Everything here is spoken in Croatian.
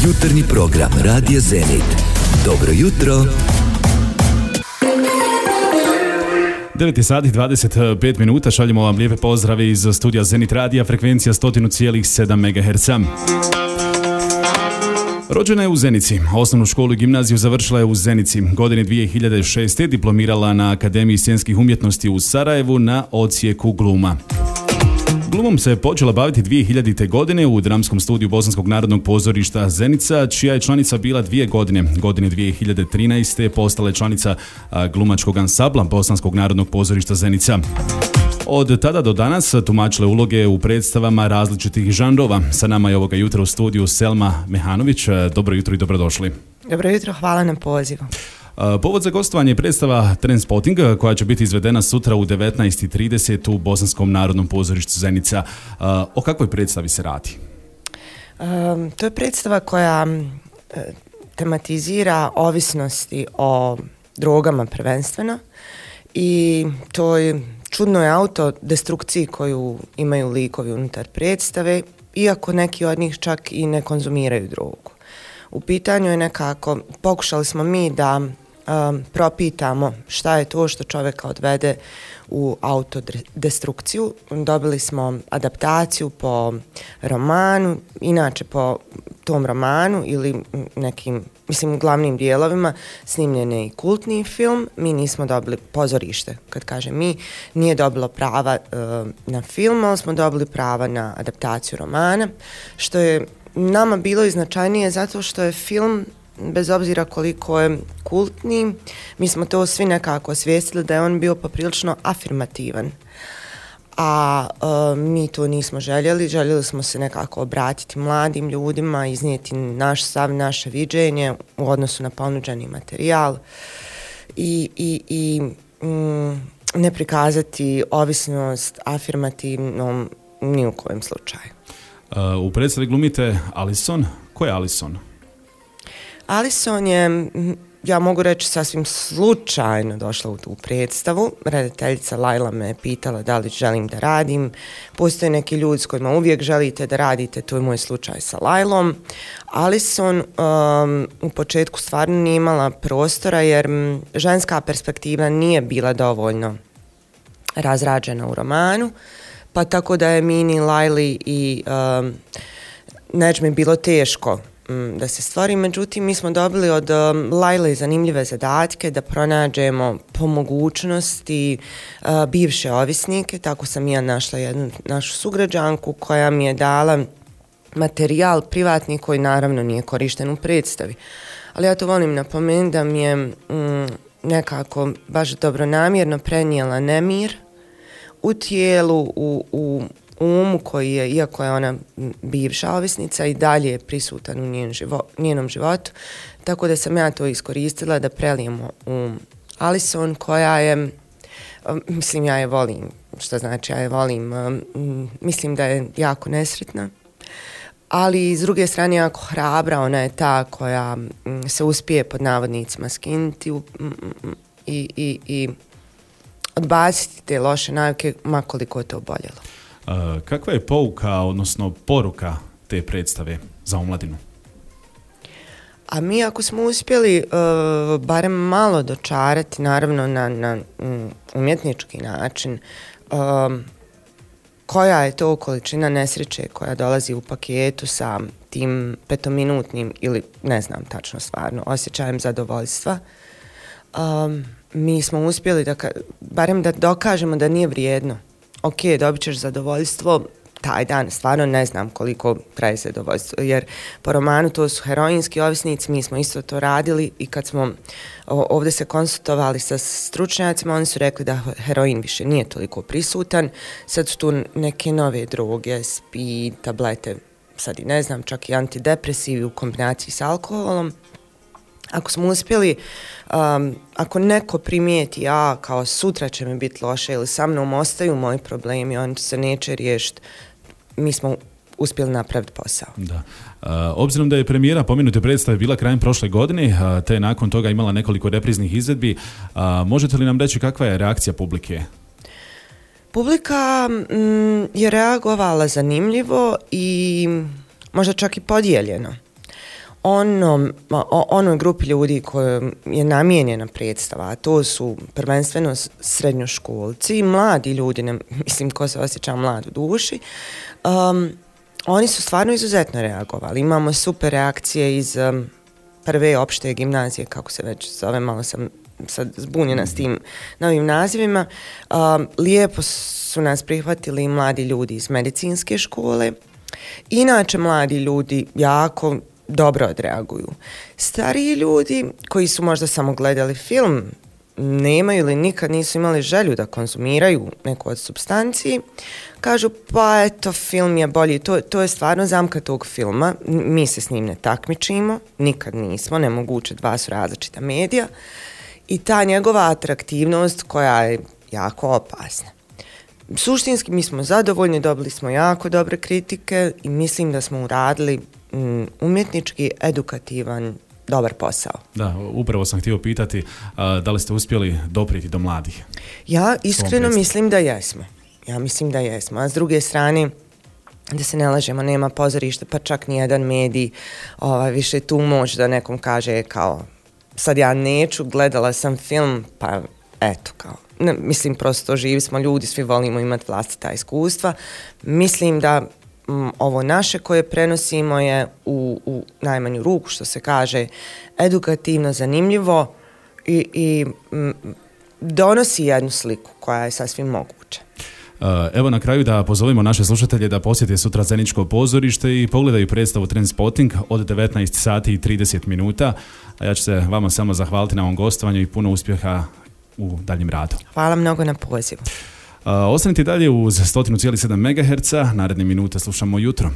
Jutarnji program Radija Zenit. Dobro jutro. 9 sati 25 minuta, šaljemo vam lijepe pozdrave iz studija Zenit Radija, frekvencija 100,7 MHz. Rođena je u Zenici, osnovnu školu i gimnaziju završila je u Zenici. Godine 2006. diplomirala na Akademiji scenskih umjetnosti u Sarajevu na odsjeku gluma. Glumom se počela baviti 2000. godine u dramskom studiju Bosanskog narodnog pozorišta Zenica, čija je članica bila 2 godine. Godine 2013. postala je članica glumačkog ansambla Bosanskog narodnog pozorišta Zenica. Od tada do danas tumačile uloge u predstavama različitih žanrova. Sa nama je ovoga jutra u studiju Selma Mehanović. Dobro jutro i dobrodošli. Dobro jutro, hvala na pozivu. Povod za gostovanje je predstava Trendspotting koja će biti izvedena sutra u 19:30 u Bosanskom narodnom pozorištu Zenica. O kakvoj predstavi se radi? To je predstava koja tematizira ovisnosti o drogama prvenstveno i toj čudnoj autodestrukciji koju imaju likovi unutar predstave, iako neki od njih čak i ne konzumiraju drogu. U pitanju je nekako, pokušali smo mi da propitamo šta je to što čovjeka odvede u autodestrukciju. Dobili smo adaptaciju po romanu, inače po tom romanu ili nekim, glavnim dijelovima snimljen je i kultni film. Mi nismo dobili pozorište, kad kažem mi, nije dobilo prava na film, ali smo dobili prava na adaptaciju romana, što je nama bilo i značajnije zato što je film, bez obzira koliko je kultni, mi smo to svi nekako osvijestili da je on bio poprilično afirmativan. A mi to nismo željeli smo se nekako obratiti mladim ljudima, iznijeti naš stav, naše viđenje u odnosu na ponuđeni materijal i ne prikazati ovisnost afirmativnom ni u kojem slučaju. U predstavi glumite Alison. Ko je Alison? Alison je, ja mogu reći, sasvim slučajno došla u tu predstavu. Redateljica Lajla me je pitala da li želim da radim. Postoje neki ljudi s kojima uvijek želite da radite, to je moj slučaj sa Lajlom. Alison u početku stvarno nije imala prostora jer ženska perspektiva nije bila dovoljno razrađena u romanu, pa tako da je Mini, Lajli i Neđmi bilo teško da se stvori. Međutim, mi smo dobili od Lajle zanimljive zadatke da pronađemo po mogućnosti bivše ovisnike. Tako sam ja našla jednu našu sugrađanku koja mi je dala materijal privatni koji naravno nije korišten u predstavi. Ali ja to volim napomenuti da mi je nekako baš dobronamjerno prenijela nemir u tijelu, u umu koji je, iako je ona bivša ovisnica, i dalje je prisutan u njenom životu. Tako da sam ja to iskoristila da prelijemo u Alison koja je, ja je volim, što znači ja je volim, mislim da je jako nesretna, ali s druge strane jako hrabra. Ona je ta koja se uspije pod navodnicima skinuti i odbaciti te loše navike, ma koliko je to boljelo. Kakva je pouka, odnosno poruka te predstave za omladinu? A mi ako smo uspjeli barem malo dočarati, naravno na umjetnički način, koja je to količina nesreće koja dolazi u paketu sa tim 5-minutnim ili ne znam tačno stvarno osjećajem zadovoljstva, mi smo uspjeli barem da dokažemo da nije vrijedno. Ok, dobit ćeš zadovoljstvo taj dan, stvarno ne znam koliko traje zadovoljstvo, jer po romanu to su heroinski ovisnici, mi smo isto to radili i kad smo ovdje se konsultovali sa stručnjacima, oni su rekli da heroin više nije toliko prisutan, sad su tu neke nove droge, speed, tablete, sad i ne znam, čak i antidepresivi u kombinaciji s alkoholom. Ako smo uspjeli, ako neko primijeti kao sutra će mi biti loše ili sa mnom ostaju moji problemi, oni se neće riješiti, mi smo uspjeli napraviti posao. Da. Obzirom da je premijera pomenute predstave bila krajem prošle godine, te je nakon toga imala nekoliko repriznih izvedbi, možete li nam reći kakva je reakcija publike? Publika je reagovala zanimljivo i možda čak i podijeljeno. onoj grupi ljudi koja je namijenjena predstava, a to su prvenstveno srednjoškolci i mladi ljudi, mislim ko se osjeća mlad u duši, oni su stvarno izuzetno reagovali. Imamo super reakcije iz prve opšte gimnazije, kako se već zove, malo sam sad zbunjena s tim novim nazivima. Lijepo su nas prihvatili mladi ljudi iz medicinske škole. Inače, mladi ljudi jako dobro odreaguju. Stariji ljudi koji su možda samo gledali film, nemaju ili nikad nisu imali želju da konzumiraju neku od supstanciji, kažu pa eto, film je bolji. To je stvarno zamka tog filma. Mi se s njim ne takmičimo, nikad nismo, nemoguće, dva su različita medija i ta njegova atraktivnost koja je jako opasna. Suštinski mi smo zadovoljni, dobili smo jako dobre kritike i mislim da smo uradili umjetnički, edukativan, dobar posao. Da, upravo sam htio pitati da li ste uspjeli doprijeti do mladih? Ja iskreno mislim da jesmo. A s druge strane, da se ne lažemo, nema pozorišta, pa čak ni jedan medij više tu moć da nekom kaže kao sad ja neću, gledala sam film, pa eto kao. Mislim, prosto živi smo ljudi, svi volimo imati vlastita iskustva. Mislim da ovo naše koje prenosimo je u najmanju ruku, što se kaže, edukativno, zanimljivo i donosi jednu sliku koja je sasvim moguća. Evo na kraju da pozovemo naše slušatelje da posjete sutra Zeničko pozorište i pogledaju predstavu Trendspotting od 19 sati i 30 minuta. A ja ću se vama samo zahvaliti na ovom gostovanju i puno uspjeha u daljem radu. Hvala mnogo na pozivu. Ostanite dalje uz 100,7 MHz, naredne minute slušamo jutro.